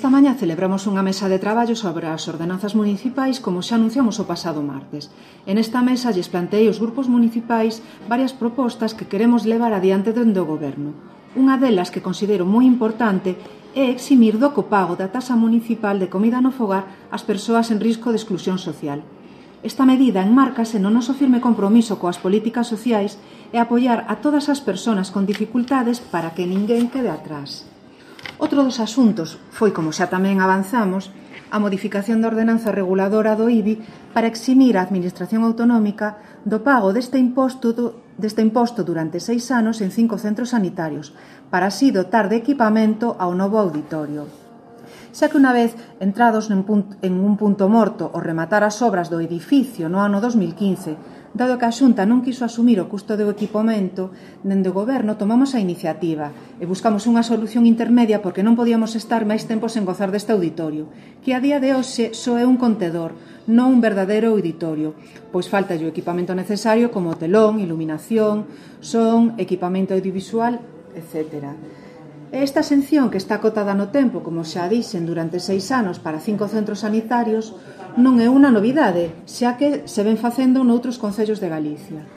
Esta mañá celebramos unha mesa de traballo sobre as ordenanzas municipais como xa anunciamos o pasado martes. En esta mesa lles plantei aos grupos municipais varias propostas que queremos levar adiante dende o Goberno. Unha delas que considero moi importante é eximir do copago da taxa municipal de comida no fogar as persoas en risco de exclusión social. Esta medida enmárcase no noso firme compromiso coas políticas sociais e apoiar a todas as persoas con dificultades para que ninguén quede atrás. Outro dos asuntos foi, como xa tamén avanzamos, a modificación da ordenanza reguladora do IBI para eximir a Administración Autonómica do pago deste imposto durante 6 anos en 5 centros sanitarios, para así dotar de equipamento ao novo auditorio. Xa que unha vez entrados en un punto morto o rematar as obras do edificio no ano 2015, dado que a Xunta non quiso asumir o custo do equipamento, dende o Goberno tomamos a iniciativa e buscamos unha solución intermedia porque non podíamos estar máis tempo sen gozar deste auditorio, que a día de hoxe só é un contedor, non un verdadeiro auditorio, pois falta o equipamento necesario como telón, iluminación, son, equipamento audiovisual, etc. Esta exención, que está acotada no tempo, como xa dixen, durante 6 anos para 5 centros sanitarios, non é unha novidade, xa que se ven facendo noutros concellos de Galicia.